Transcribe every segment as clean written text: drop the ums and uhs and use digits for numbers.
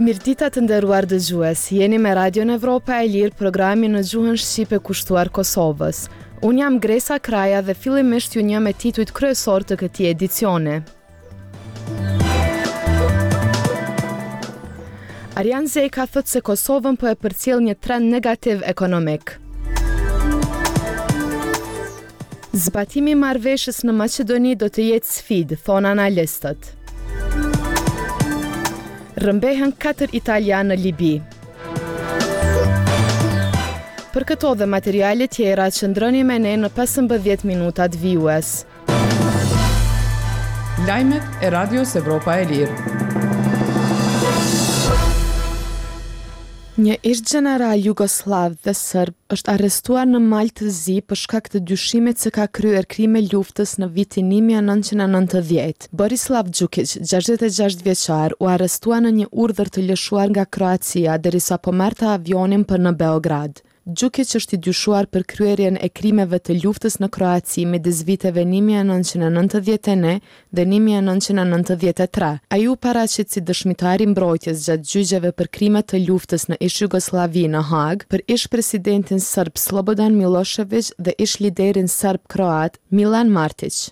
Mirëdita të nderuar dëgjues, jeni me Radion Evropa e Lirë, programin në gjuhën shqipe kushtuar Kosovës. Unë jam Gresa Kraja dhe fillimisht ju njoh me titujt kryesorë të këtij edicioni. Arjan Zeka thotë se Kosovën po e përcjell një trend negativ ekonomik. Zbatimi i marrëveshjes në Maqedoni do të jetë sfidë, thonë analistët. Rrëmbehen 4 italianë në Libi. Për këto dhe materiale tjera qëndroni me ne në 15 minutat vijues. Lajmet e Radios Evropa e Lirë. Një ish-gjeneral jugosllav dhe serb është arrestuar në Mal të Zi për shkak të dyshimit se ka kryer krime luftës në vitin 1990. Borislav Gjukiq, 66 vjeçar, u arrestua në një urdhër të lëshuar nga Kroacia derisa po merrte avionin për në Beograd. Gjukiq është i dyshuar për kryerjen e krimeve të luftës në Kroaci midis viteve 1991 dhe 1993. Ai u paraqit si dëshmitar i mbrojtjes gjatë gjyqeve për krime të luftës në ish-Jugosllavi në Hagë, për ish-presidentin serb Slobodan Millosheviq dhe ish-liderin serb-kroat Milan Martiq.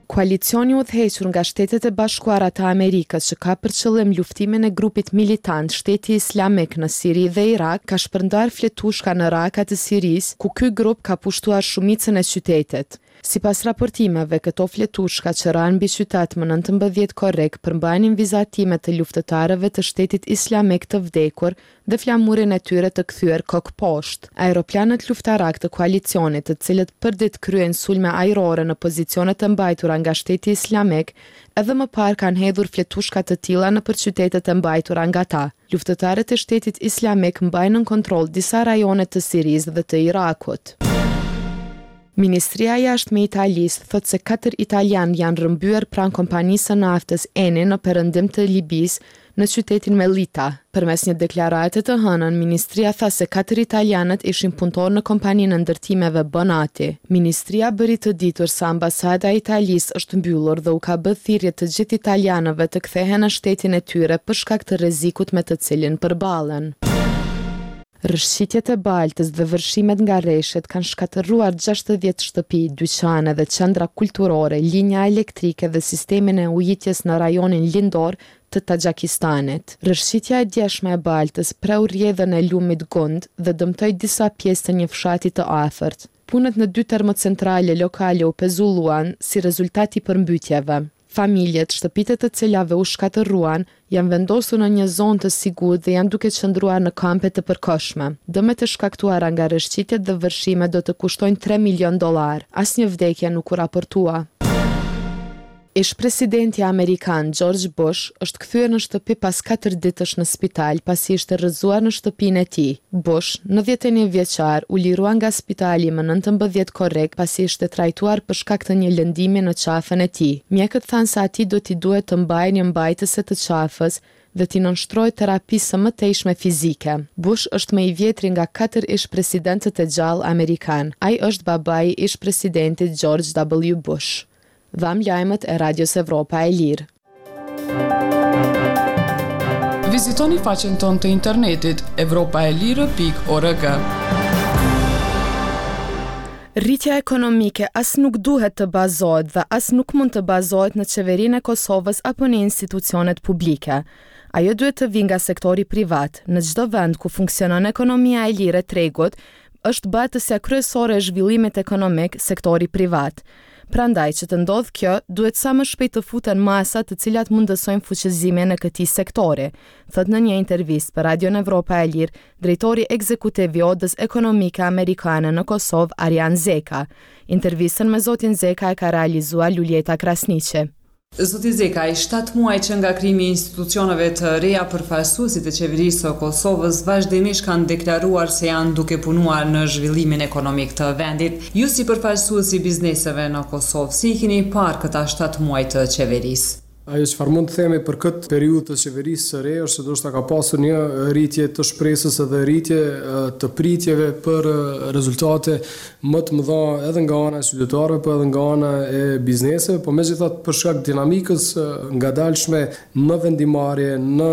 Koalicioni i udhëhequr nga Shtetet e Bashkuara të Amerikës që ka për qëllim luftimin e grupit militant Shteti Islamik në Siri dhe Irak ka shpërndarë fletushka në Raka të Sirisë, ku ky grup ka pushtuar shumicën e qytetit. Sipas raportimeve, këto fletushka që ranë mbi qytet më 19 korrik përmbanin vizatime të luftëtarëve të Shtetit Islamik të vdekur dhe flamurin e tyre të kthyer kokëposhtë. Aeroplanët luftarakë të koalicionit, të cilët përditë kryejnë sulme ajrore në pozicionet e mbajtura nga Shteti Islamik, edhe më parë kanë hedhur fletushka të tilla nëpër qytetet e mbajtura nga ta. Luftëtarët e Shtetit Islamik mbajnë nën kontroll disa rajone të Sirisë dhe të Irakut. Ministria e Jashtme e Italisë thotë se katër italianë janë rrëmbyer pranë kompanisë së naftës Eni në perëndim të Libisë, në qytetin Mellita. Përmes një deklarate të hënën, ministria tha se katër italianët ishin punëtorë në kompaninë e ndërtimeve Bonati. Ministria bëri të ditur se ambasada e Italisë është mbyllur dhe u ka bë thirrje të gjithë italianëve të kthehen në shtetin e tyre për shkak të rrezikut me të cilin përballen. Rrëshqitjet e baltës dhe vërshimet nga reshjet kanë shkatërruar 60 shtëpi, dyqane dhe qendra kulturore, linja elektrike dhe sistemin e ujitjes në rajonin lindor të Taxhakistanit. Rrëshqitja e djeshme e baltës preu rrjedhën e lumit Gund dhe dëmtoi disa pjesë të një fshati të afërt. Punët në dy termocentrale lokale u pezulluan si rezultat i përmbytjeve. Familjet, shtëpitë e të cilave u shkatërruan, janë vendosur në një zonë të sigurt dhe janë duke qëndruar në kampe të përkohshme. Dëmet e shkaktuara nga rrëshqitjet dhe vërshimet do të kushtojnë 3 milionë dollarë. Asnjë vdekje nuk u raportua. Ish-presidenti amerikan George Bush është kthyer në shtëpi pas katër ditësh në spital pasi ishte rrëzuar në shtëpinë e tij. Bush, 91 vjeçar, u lirua nga spitali më 19 korrik pasi ishte trajtuar për shkak të një lëndimi në qafën e tij. Mjekët thanë se atij do t'i duhet të mbajë një mbajtëse të qafës dhe t'i nënshtrohet terapisë së mëtejshme fizike. Bush është më i vjetri nga katër ish-presidentët e gjallë amerikanë. Ai është babai i ish-presidentit George W. Bush. Dhamë lajmet e Radios Evropa e Lirë. Vizitoni faqen tonë të internetit evropaelire.org. Rritja ekonomike as nuk duhet të bazohet dhe as nuk mund të bazohet në qeverinë e Kosovës apo në institucionet publike. Ajo duhet të vijë nga sektori privat. Në çdo vend ku funksionon ekonomia e lirë e tregut, është bartësja kryesore e zhvillimit ekonomik sektori privat. Prandaj, që të ndodhë kjo, duhet sa më shpejt të futen masa të cilat mundësojnë fuqizimin e këtij sektori, thotë në një intervistë për Radion Evropa e Lirë, drejtori ekzekutiv i Odës Ekonomike Amerikane në Kosovë, Arjan Zeka. Intervistën me zotin Zeka e ka realizuar Luljeta Krasniqi. Zoti Zekaj, 7 muaj që nga krijimi i institucioneve të reja, përfaqësuesit e qeverisë së Kosovës vazhdimisht kanë deklaruar se janë duke punuar në zhvillimin ekonomik të vendit. Ju si përfaqësues i bizneseve në Kosovë, si i keni parë këta 7 muaj të qeverisë? Ajo çfarë mund të themi për këtë periudhë të qeverisë së re është se ndoshta ka pasur një rritje të shpresës edhe rritje të pritjeve për rezultate më të mëdha edhe nga ana e qytetarëve, po edhe nga ana e bizneseve, po megjithatë për shkak të dinamikës së ngadalshme në vendimmarrje, në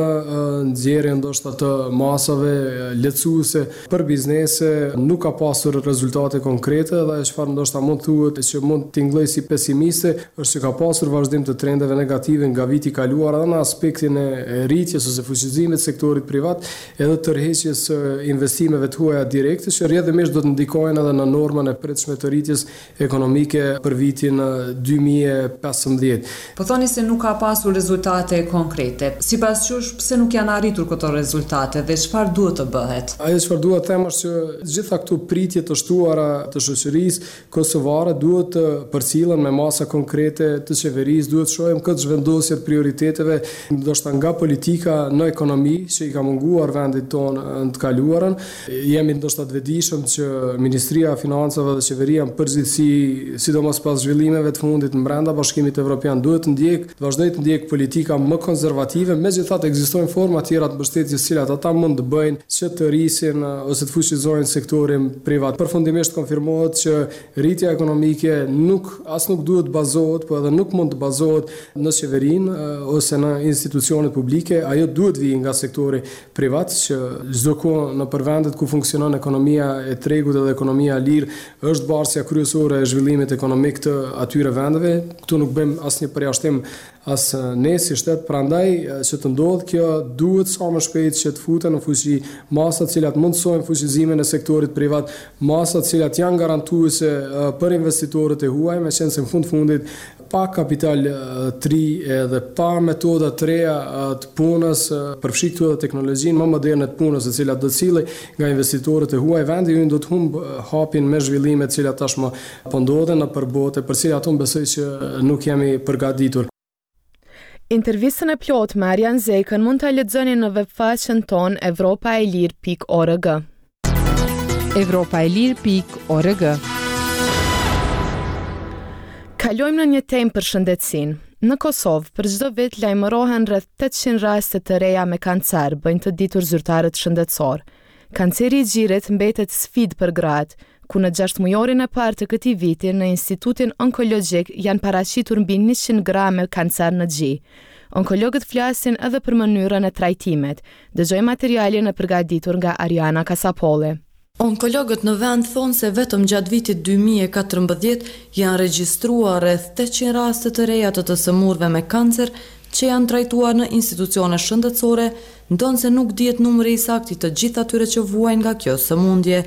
nxjerrje ndoshta të masave lehtësuese për biznese, nuk ka pasur rezultate konkrete dhe ajo çfarë ndoshta mund të thuhet e që mund të tingëllojë si pesimiste është që ka pasur vazhdim të trendeve negative nga viti i kaluar edhe në aspektin e rritjes ose fuqizimit të sektorit privat edhe tërheqjes së investimeve të huaja direkte që rrjedhimisht do të ndikojnë edhe në normën e pritshme të rritjes ekonomike për vitin 2015. Po thoni se nuk ka pasur rezultate konkrete. Sipas jush, pse nuk janë arritur këto rezultate dhe çfarë duhet të bëhet? Ajo çfarë dua të them është që gjitha këto pritje të shtuara të shoqërisë kosovare duhet të përcillen me masa konkrete të qeverisë, duhet të shohim këtë zhvendosje të prioriteteve, ndoshta nga politika në ekonomi që i ka munguar vendit tonë në të kaluarën. Jemi ndoshta të vetëdijshëm që Ministria e Financave dhe qeveria në përgjithësi, sidomos pas zhvillimeve të fundit brenda Bashkimit Evropian, duhet të ndjekë, të vazhdojë të ndjekë politika më konservative, megjithatë ekzistojnë forma tjera të mbështetjes të cilat ata mund të bëjnë që të rrisin ose të fuqizojnë sektorin privat. Përfundimisht konfirmohet që rritja ekonomike nuk as nuk duhet të bazohet, po edhe nuk mund të bazohet në qeverinë ose në institucionet publike, ajo duhet të vijë nga sektori privat që çdo kohë nëpër vendet ku funksionon ekonomia e tregut edhe ekonomia e lirë është bartësja kryesore e zhvillimit ekonomik të atyre vendeve. Këtu nuk bëjmë asnjë përjashtim as ne si shtet, prandaj që të ndodhë kjo duhet sa më shpejt që të futen në fuqi masa të cilat mundësojnë fuqizimin e sektorit privat, masa të cilat janë garantuese për investitorët e huaj, meqenëse në fund fundit Pa kapital të ri edhe pa metoda të reja të punës, përfshi këtu edhe teknologjinë më moderne të punës e cila do të sillej nga investitorët e huaj, vendi ynë do të humbë hapin me zhvillimet të cilat tashmë po ndodhin nëpër botë e për cilat unë besoj që nuk jemi përgatitur. Intervistën e plotë me Arjan Zekën mund ta lexoni në webfaqen tonë evropaelire.org. Evropaelire.org Kalojmë në një temë për shëndetësinë. Në Kosovë, për çdo vit lajmërohen rreth 800 raste të reja me kancer, bëjnë të ditur zyrtarët shëndetësorë. Kanceri i gjirit mbetet sfidë për gratë, ku në gjashtëmujorin e parë të këtij viti në Institutin Onkologjik janë paraqitur mbi 100 gra me kancer në gji. Onkologët flasin edhe për mënyrën e trajtimit. Dëgjojmë materialin e përgatitur nga Ariana Kasapolli. Onkologët në vend thonë se vetëm gjatë vitit 2014 janë regjistruar rreth 800 raste të reja të të sëmurëve me kancer që janë trajtuar në institucione shëndetësore, ndonëse nuk dihet numri i saktë i të gjithë atyre që vuajnë nga kjo sëmundje.